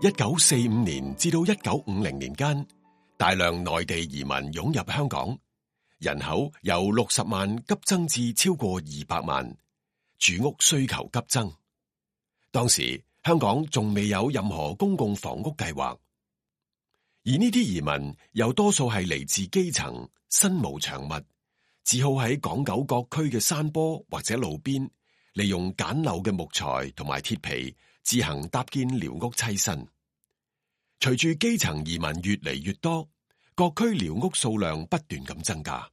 1945年至到1950年間，大量內地移民湧入香港，人口由60萬急增至超過200萬，住屋需求急增。當時香港仲未有任何公共房屋計劃，而呢啲移民又多數係嚟自基層，身無長物，只好喺港九各區嘅山坡或者路邊，利用簡陋嘅木材同埋鐵皮自行搭建寮屋棲身。隨住基層移民越嚟越多，各區寮屋數量不斷咁增加。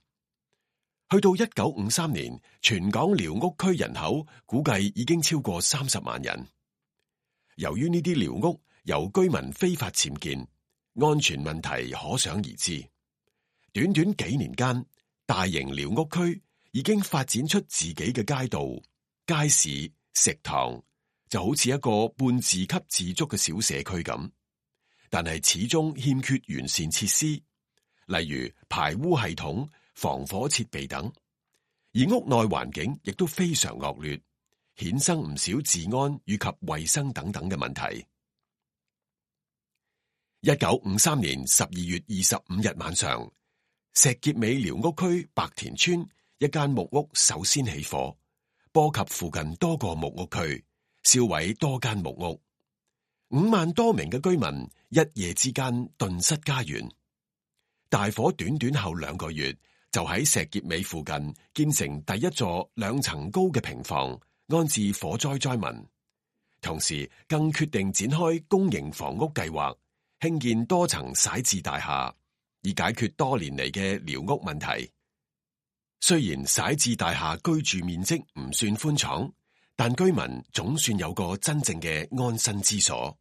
去到1953年，全港寮屋區人口估計已經超過30萬人。由於呢啲寮屋由居民非法僭建，安全問題可想而知。短短幾年間，大型寮屋區已經發展出自己嘅街道、街市、食堂，就好似一個半自給自足嘅小社區咁。但係始終欠缺完善設施，例如排污系統、防火設備等，而屋內環境亦都非常惡劣，衍生唔少治安以及衛生等等嘅問題。1953年12月25日晚上，石硤尾寮屋區白田村一間木屋首先起火，波及附近多個木屋區，燒毀多間木屋，5萬多名嘅居民一夜之間頓失家園。大火短短後2個月，就喺石硤尾附近建成第一座2層高嘅平房，安置火災災民。同時更決定展開公營房屋計劃，興建多層徙置大廈，以解決多年嚟嘅寮屋問題。雖然徙置大廈居住面積唔算寬敞，但居民總算有個真正嘅安身之所。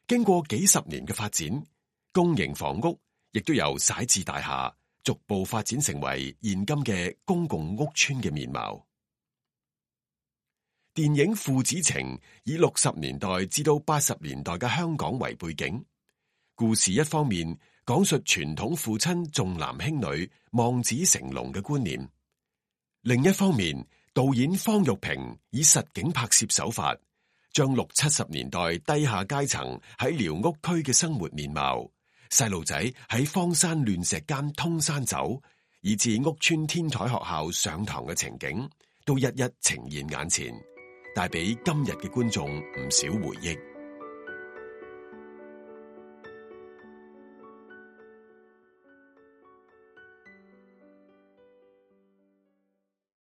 經過幾十年嘅發展，公營房屋亦都由徙置大廈逐步發展成為現今嘅公共屋邨嘅面貌。電影《父子情》以60年代至到80年代嘅香港為背景，故事一方面講述傳統父親重男輕女、望子成龍嘅觀念，另一方面導演方育平以實景拍攝手法，將60、70年代低下階層喺寮屋區嘅生活面貌，細路仔喺荒山亂石間通山走，以至屋邨天台學校上堂嘅情景，都一一呈現眼前，帶俾今日嘅觀眾唔少回憶。